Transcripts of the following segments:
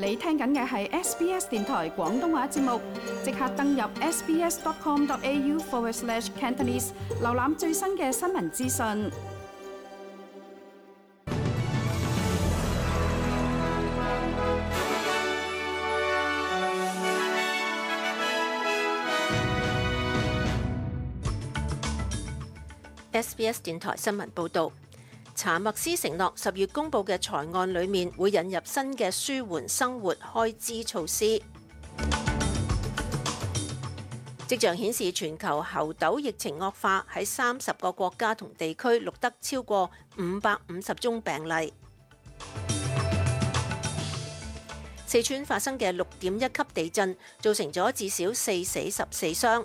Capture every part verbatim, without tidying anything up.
你聽緊嘅係 S B S 電台廣東話節目，即刻登入 sbs.com.au forward slash Cantonese， 瀏覽最新嘅新聞資訊。S B S 電台新聞報導。查默斯承諾十月公佈嘅財案裏面會引入新嘅舒緩生活開支措施。跡象顯示全球猴痘疫情惡化，喺三十個國家同地區錄得超過五百五十宗病例。四川發生嘅六點一級地震造成咗至少四死十四傷。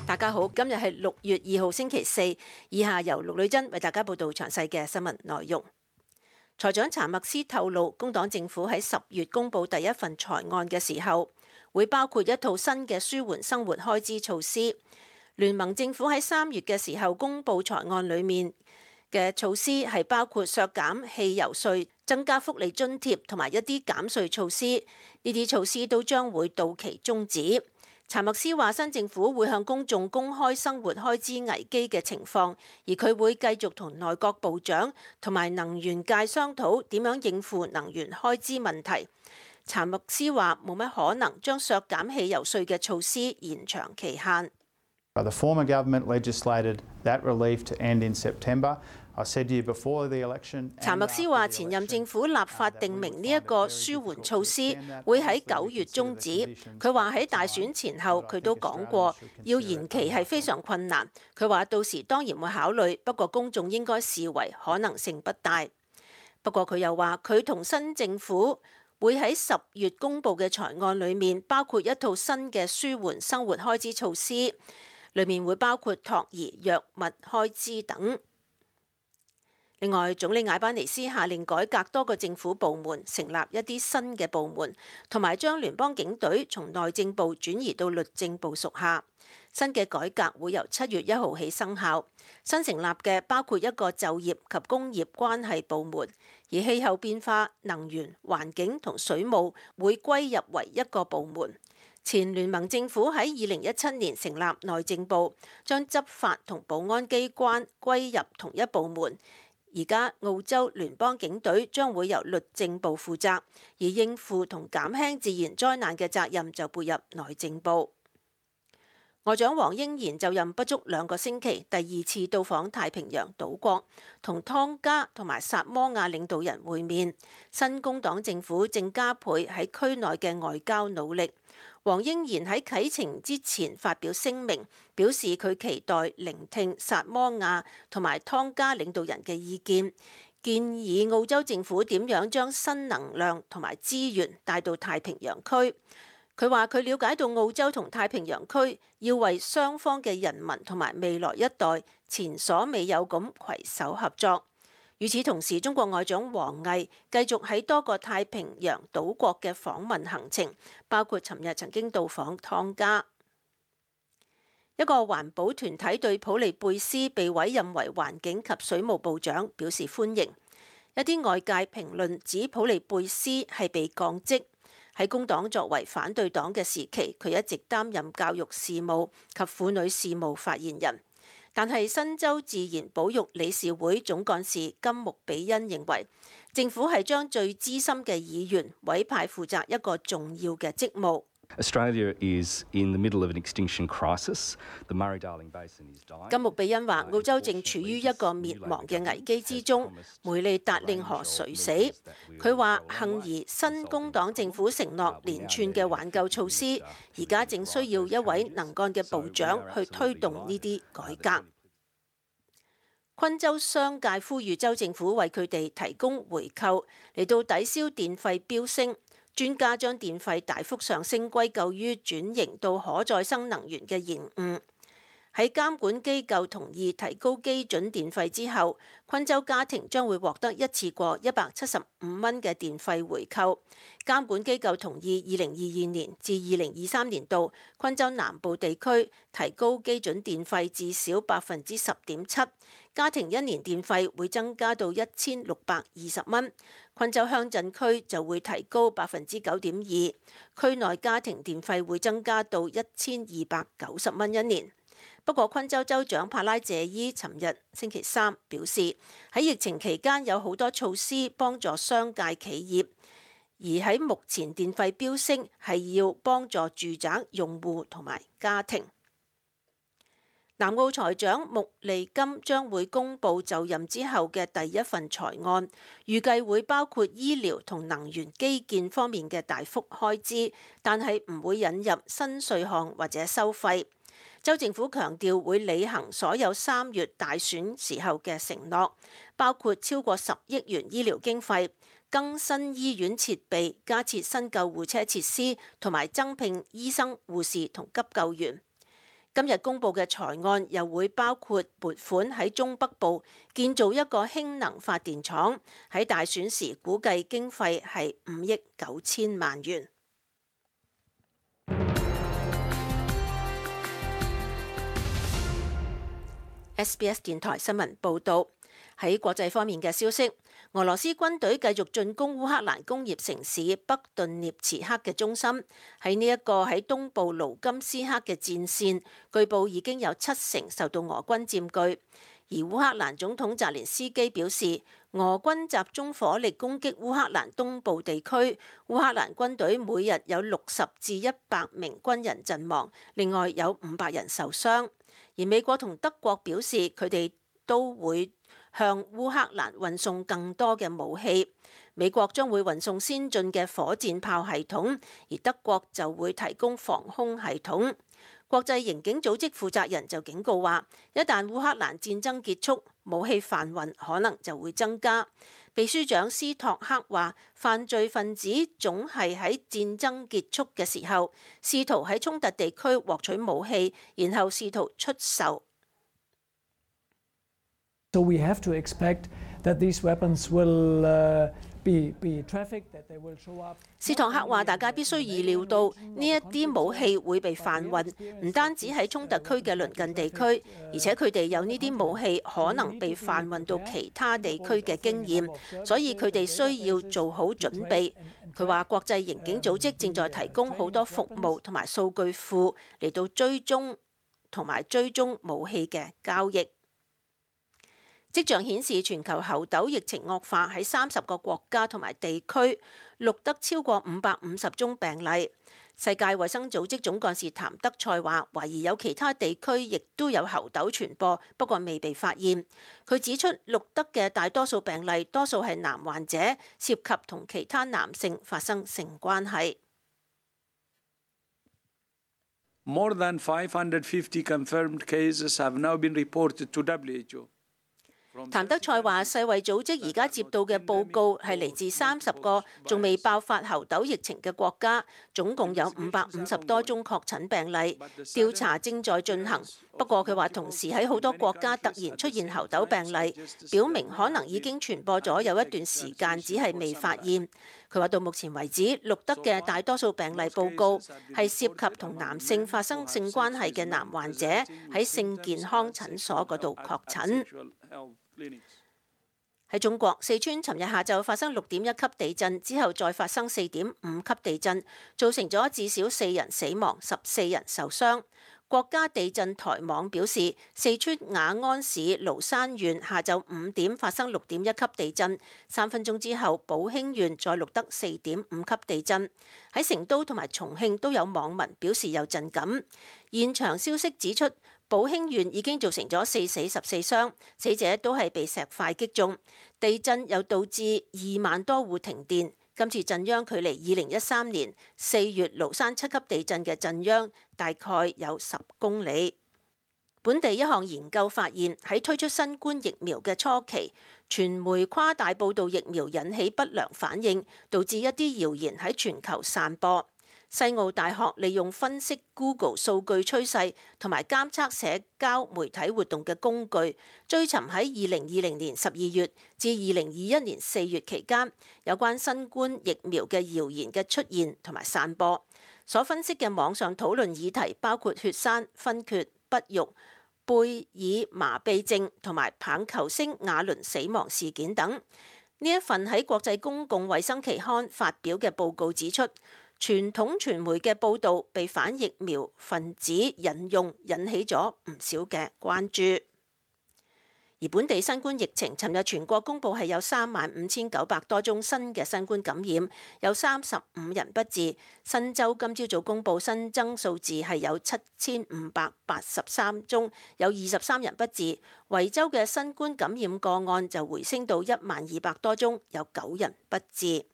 大家好，今日係六月二號星期四，以下由陸女珍為大家報道詳細嘅新聞內容。財長查默斯透露，工黨政府喺十月公布第一份財案嘅時候，會包括一套新嘅舒緩生活開支措施。聯盟政府喺三月嘅時候公布財案裏面嘅措施係包括削減汽油稅、增加福利津貼同埋一啲減稅措施，呢啲措施都將會到期終止。查默斯話：新政府會向公眾公開生活開支危機嘅情況，而佢會繼續同內閣部長同埋能源界商討點樣應付能源開支問題。查默斯話：冇乜可能將削減汽油稅嘅措施延長期限。The former government legislated that relief to end in September. 查默斯話：前任政府立法定明呢一個舒緩措施會喺九月終止。佢話喺大選前後，佢都講過要延期係非常困難。佢話到時當然會考慮，不過公眾應該視為可能性不大。不過佢又話佢同新政府會喺十月公佈嘅財案裏面包括一套新嘅舒緩生活開支措施，裏面會包括托兒、藥物開支等。另外，總理艾班尼斯下令改革多個政府部門，成立一啲新嘅部門，同埋將聯邦警隊從內政部轉移到律政部屬下。新嘅改革會由七月一號起生效。新成立嘅包括一個就業及工業關係部門，而氣候變化、能源、環境同水務會歸入為一個部門。前聯盟政府喺二零一七年成立內政部，將執法同保安機關歸入同一部門。而家澳洲聯邦警隊將會由律政部負責，而應付同減輕自然災難嘅責任就撥入內政部。外長黃英賢就任不足兩個星期，第二次到訪太平洋島國，同湯加同埋薩摩亞領導人會面。新工黨政府正加倍喺區內嘅外交努力。黃英賢喺啟程之前發表聲明，表示佢期待聆聽薩摩亞同埋湯加領導人嘅意見，建議澳洲政府點樣將新能量同埋資源帶到太平洋區。佢話佢了解到澳洲同太平洋區要為雙方嘅人民同埋未來一代前所未有咁攜手合作。與此同時，中國外長王毅繼續喺多個太平洋島國嘅訪問行程，包括尋日曾經到訪湯加。一個環保團體對普利貝斯被委任為環境及水務部長表示歡迎。一啲外界評論指普利貝斯係被降職。喺工黨作為反對黨嘅時期，佢一直擔任教育事務及婦女事務發言人。但係新州自然保育理事會總幹事金木比恩認為，政府係將最資深嘅議員委派負責一個重要嘅職務。Australia is in the middle of an extinction crisis. The Murray-Darling Basin is dying. 金木比恩話：澳洲正處於一個滅亡嘅危機之中，梅利達令河垂死。佢話：幸而新工黨政府承諾連串嘅挽救措施，而家正需要一位能幹嘅部長去推動呢啲改革。昆州商界呼籲州政府為佢哋提供回扣，嚟到抵消電費飆升。專家將電費大幅上升歸咎於轉型到可再生能源嘅延誤。喺監管機構同意提高基準電費之後，昆州家庭將會獲得一次過一百七十五蚊嘅電費回扣。監管機構同意二零二二年至二零二三年度昆州南部地區提高基準電費至少百分之十點七，家庭一年電費會增加到一千六百二十蚊。昆州鄉鎮區就會提高百分之九點二，區內家庭電費會增加到一千二百九十蚊一年。不過，昆州州長帕拉謝伊尋日星期三表示，喺疫情期間有好多措施幫助商界企業，而喺目前電費飆升係要幫助住宅用戶同埋家庭。南澳財長穆利金將會公布就任之後嘅第一份財案，預計會包括醫療同能源基建方面嘅大幅開支，但係唔會引入新稅項或者收費。州政府強調會履行所有三月大選時候嘅承諾，包括超過十億元醫療經費、更新醫院設備、加設新救護車設施，同埋增聘醫生、護士同急救員。今日公布嘅財案又會包括撥款喺中北部建造一個氫能發電廠，喺大選時估計經費係五億九千萬元。S B S 電台新聞報導，喺國際方面嘅消息，俄羅斯軍隊繼續進攻烏克蘭工業城市北頓涅茨克嘅中心。喺呢一個喺東部盧甘斯克嘅戰線，據報已經有七成受到俄軍佔據。而烏克蘭總統澤連斯基表示，俄軍集中火力攻擊烏克蘭東部地區，烏克蘭軍隊每日有六十至一百名軍人陣亡，另外有五百人受傷。而美國同德國表示，佢哋都會向烏克蘭運送更多嘅武器。美國將會運送先進嘅火箭炮系統，而德國就會提供防空系統。國際刑警組織負責人就警告話，一旦烏克蘭戰爭結束，武器販運可能就會增加。秘書長斯托克話，犯罪分子總係喺戰爭結束嘅時候，試圖喺衝突地區獲取武器，然後試圖出售。So we have to expect that these weapons will uh, be be trafficked, that they will show up. 斯托克話：大家必須預料到呢一啲武器會被販運，唔單止喺衝突區嘅鄰近地區，而且佢哋有呢啲武器可能被販運到其他地區嘅經驗，所以佢哋需要做好準備。佢話國際刑警組織正在提供好多服務同埋數據庫嚟到追蹤同埋追蹤武器嘅交易。跡象顯示，全球猴痘疫情惡化，喺三十個國家同埋地區錄得超過五百五十宗病例。世界衛生組織總幹事譚德塞話，懷疑有其他地區亦都有猴痘傳播，不過未被發現。佢指出，錄得嘅大多數病例多數係男患者，涉及同其他男性發生性關係。More than five hundred fifty confirmed cases have now been reported to W H O。譚德塞話：世衛組織而家接到嘅報告係嚟自三十個仲未爆發猴痘疫情嘅國家，總共有五百五十多宗確診病例，調查正在進行。不過佢話，同時喺好多國家突然出現猴痘病例，表明可能已經傳播咗有一段時間，只係未發現。佢話到目前為止錄得嘅大多數病例報告係涉及同男性發生性關係嘅男患者喺性健康診所嗰度確診。喺中國，四川尋日下晝發生六點一級地震，之後再發生四點五級地震，造成咗至少四人死亡、十四人受傷。國家地震台網表示，四川雅安市蘆山縣下晝五點發生六點一級地震，三分鐘之後，寶興縣再錄得四點五級地震。喺成都同埋重慶都有網民表示有震感。現場消息指出，寶興縣已經造成咗四死十四傷，死者都係被石塊擊中。地震又導致二萬多戶停電。今次震央距離二零一三年四月蘆山七級地震嘅震央大概有十公里。本地一項研究發現，喺推出新冠疫苗嘅初期，傳媒誇大報導疫苗引起不良反應，導致一啲謠言喺全球散播。西澳大學利用分析 Google 數據趨勢同埋監測社交媒體活動嘅工具，追尋喺二零二零年十二月至二零二一年四月期間有關新冠疫苗嘅謠言嘅出現同埋散播。所分析嘅網上討論議題包括血栓、昏厥、不育、貝爾麻痹症同埋棒球星亞倫死亡事件等。呢一份喺國際公共衛生期刊發表嘅報告指出，傳統傳媒嘅報導被反疫苗分子引用，引起咗唔少嘅關注。而本地新冠疫情，尋日全國公佈係有三萬五千九百多宗新嘅新冠感染，有三十五人不治。新州今朝早公佈新增數字係有七千五百八十三宗，有二十三人不治。維州嘅新冠感染個案就回升到一萬二百多宗，有九人不治。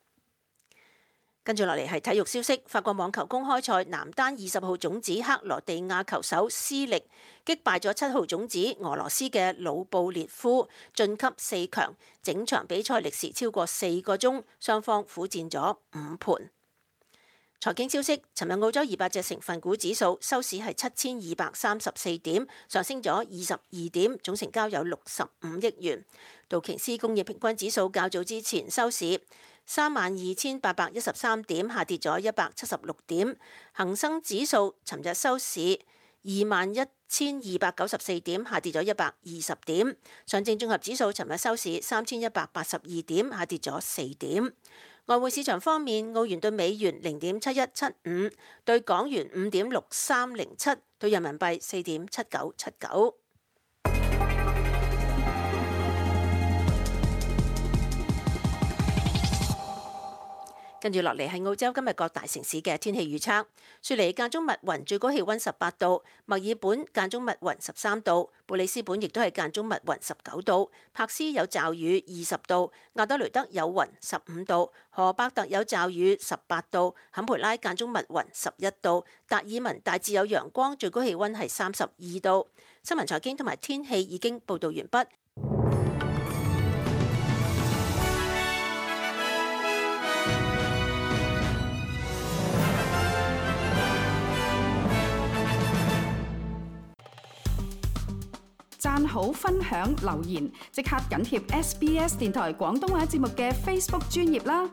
跟住落嚟係體育消息，法國網球公開賽男單二十號種子克羅地亞球手斯力擊敗咗七號種子俄羅斯嘅魯布列夫，晉級四強。整場比賽歷時超過四個鐘，雙方苦戰咗五盤。財經消息，尋日澳洲二百隻成分股指數收市係七千二百三十四點，上升咗二十二點，總成交有六十五億元。道瓊斯工業平均指數較早之前收市三萬二千八百一十三點，下跌咗一百七十六點。恒生指數尋日收市二萬一千二百九十四點，下跌咗一百二十點。上證綜合指數尋日收市三千一百八十二點，下跌咗四點。外匯市場方面，澳元對美元零點七一七五，對港元五點六三零七，對人民幣四點七九七九。跟住落嚟係澳洲今日各大城市嘅天氣預測。雪梨間中密雲，最高氣温十八度；墨爾本間中密雲十三度；布里斯本亦都係間中密雲十九度；柏斯有驟雨二十度；亞德雷德有雲十五度；荷伯特有驟雨十八度；坎培拉間中密雲十一度；達爾文大致有陽光，最高氣温係三十二度。新聞財經同埋天氣已經報導完畢。讚好、分享、留言，即刻緊貼 S B S 電台廣東話節目嘅 Facebook 專頁啦！